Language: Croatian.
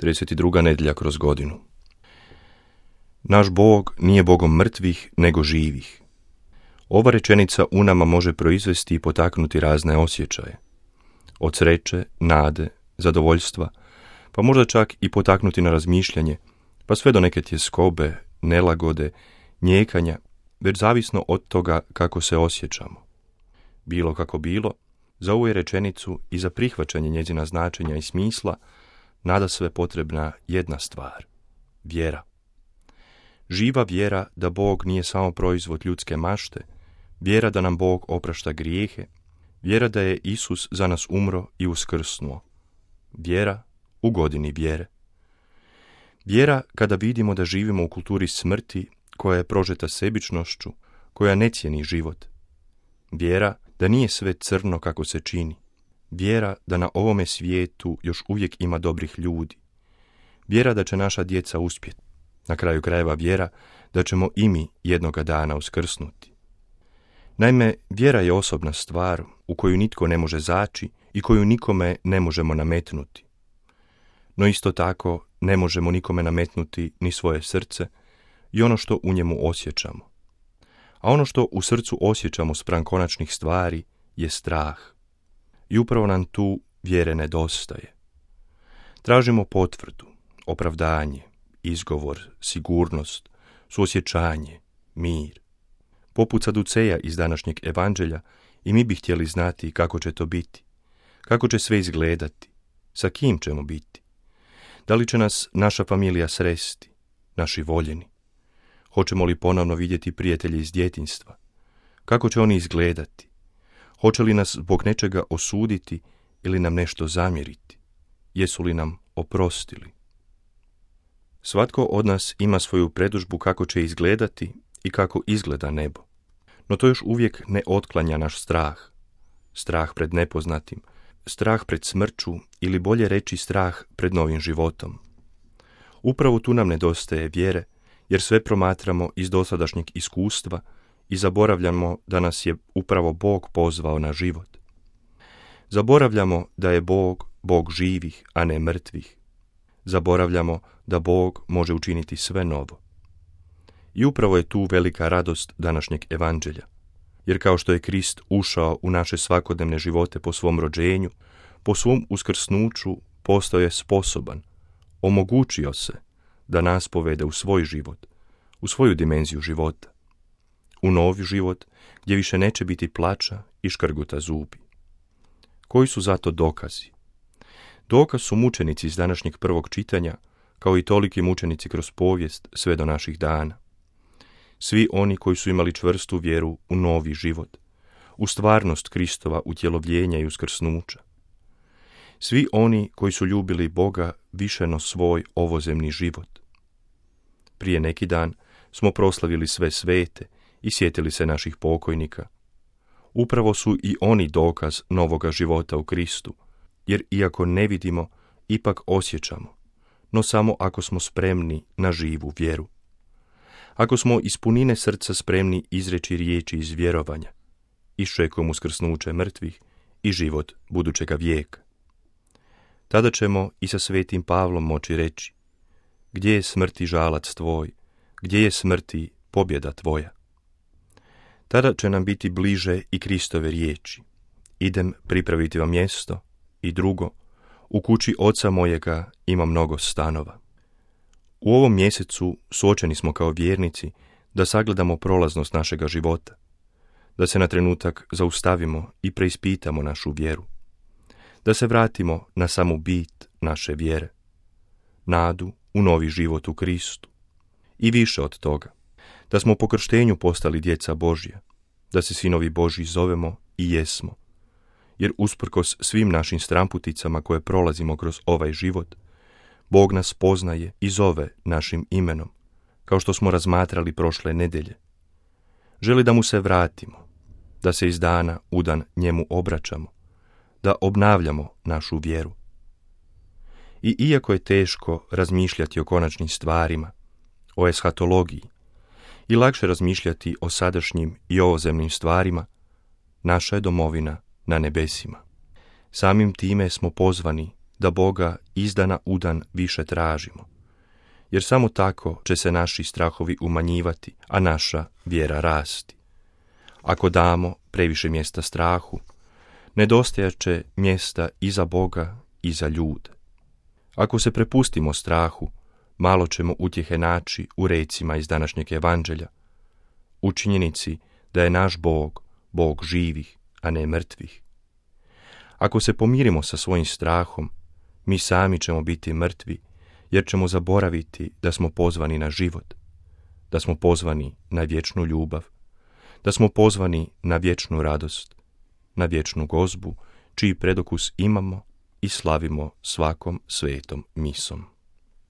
32. nedjelja kroz godinu. Naš Bog nije Bogom mrtvih, nego živih. Ova rečenica u nama može proizvesti i potaknuti razne osjećaje. Od sreće, nade, zadovoljstva, pa možda čak i potaknuti na razmišljanje, pa sve do neke tjeskobe, nelagode, njekanja, već zavisno od toga kako se osjećamo. Bilo kako bilo, za ovu je rečenicu i za prihvaćanje njezina značenja i smisla nadasve potrebna jedna stvar – vjera. Živa vjera da Bog nije samo proizvod ljudske mašte, vjera da nam Bog oprašta grijehe, vjera da je Isus za nas umro i uskrsnuo, vjera u godini vjere. Vjera kada vidimo da živimo u kulturi smrti koja je prožeta sebičnošću, koja ne cijeni život. Vjera da nije sve crno kako se čini. Vjera da na ovome svijetu još uvijek ima dobrih ljudi. Vjera da će naša djeca uspjeti. Na kraju krajeva vjera da ćemo i mi jednoga dana uskrsnuti. Naime, vjera je osobna stvar u koju nitko ne može zaći i koju nikome ne možemo nametnuti. No isto tako ne možemo nikome nametnuti ni svoje srce i ono što u njemu osjećamo. A ono što u srcu osjećamo spram konačnih stvari je strah. I upravo nam tu vjere nedostaje. Tražimo potvrdu, opravdanje, izgovor, sigurnost, suosjećanje, mir. Poput Saduceja iz današnjeg evanđelja i mi bi htjeli znati kako će to biti, kako će sve izgledati, sa kim ćemo biti. Da li će nas naša familija sresti, naši voljeni? Hoćemo li ponovno vidjeti prijatelje iz djetinjstva? Kako će oni izgledati? Hoće li nas zbog nečega osuditi ili nam nešto zamjeriti? Jesu li nam oprostili? Svatko od nas ima svoju predodžbu kako će izgledati i kako izgleda nebo. No to još uvijek ne otklanja naš strah. Strah pred nepoznatim, strah pred smrću ili bolje reći strah pred novim životom. Upravo tu nam nedostaje vjere, jer sve promatramo iz dosadašnjeg iskustva i zaboravljamo da nas je upravo Bog pozvao na život. Zaboravljamo da je Bog Bog živih, a ne mrtvih. Zaboravljamo da Bog može učiniti sve novo. I upravo je tu velika radost današnjeg evanđelja. Jer kao što je Krist ušao u naše svakodnevne živote po svom rođenju, po svom uskrsnuću postao je sposoban, omogućio se da nas povede u svoj život, u svoju dimenziju života, u novi život gdje više neće biti plača i škrguta zubi. Koji su zato dokazi? Dokaz su mučenici iz današnjeg prvog čitanja, kao i toliki mučenici kroz povijest sve do naših dana. Svi oni koji su imali čvrstu vjeru u novi život, u stvarnost Kristova utjelovljenja i uskrsnuća. Svi oni koji su ljubili Boga više no svoj ovozemni život. Prije neki dan smo proslavili sve svete i sjetili se naših pokojnika. Upravo su i oni dokaz novoga života u Kristu, jer iako ne vidimo, ipak osjećamo, no samo ako smo spremni na živu vjeru. Ako smo iz punine srca spremni izreći riječi iz vjerovanja, iščekujemo uskrsnuće mrtvih i život budućega vijeka. Tada ćemo i sa svetim Pavlom moći reći: gdje je smrti žalac tvoj, gdje je smrti pobjeda tvoja? Tada će nam biti bliže i Kristove riječi: idem pripraviti vam mjesto, i drugo, u kući oca mojega ima mnogo stanova. U ovom mjesecu suočeni smo kao vjernici da sagledamo prolaznost našega života, da se na trenutak zaustavimo i preispitamo našu vjeru, da se vratimo na samu bit naše vjere, nadu u novi život u Kristu i više od toga, da smo po krštenju postali djeca Božja, da se sinovi Božji zovemo i jesmo, jer usprkos svim našim stramputicama koje prolazimo kroz ovaj život, Bog nas poznaje i zove našim imenom, kao što smo razmatrali prošle nedjelje. Želi da mu se vratimo, da se iz dana u dan njemu obraćamo, da obnavljamo našu vjeru. I iako je teško razmišljati o konačnim stvarima, o eshatologiji, i lakše razmišljati o sadašnjim i ovozemnim stvarima, naša je domovina na nebesima. Samim time smo pozvani da Boga iz dana u dan više tražimo, jer samo tako će se naši strahovi umanjivati, a naša vjera rasti. Ako damo previše mjesta strahu, nedostajat će mjesta i za Boga i za ljude. Ako se prepustimo strahu, malo ćemo utjehe naći u recima iz današnjeg evanđelja, u činjenici da je naš Bog, Bog živih, a ne mrtvih. Ako se pomirimo sa svojim strahom, mi sami ćemo biti mrtvi, jer ćemo zaboraviti da smo pozvani na život, da smo pozvani na vječnu ljubav, da smo pozvani na vječnu radost, na vječnu gozbu, čiji predokus imamo i slavimo svakom svetom misom.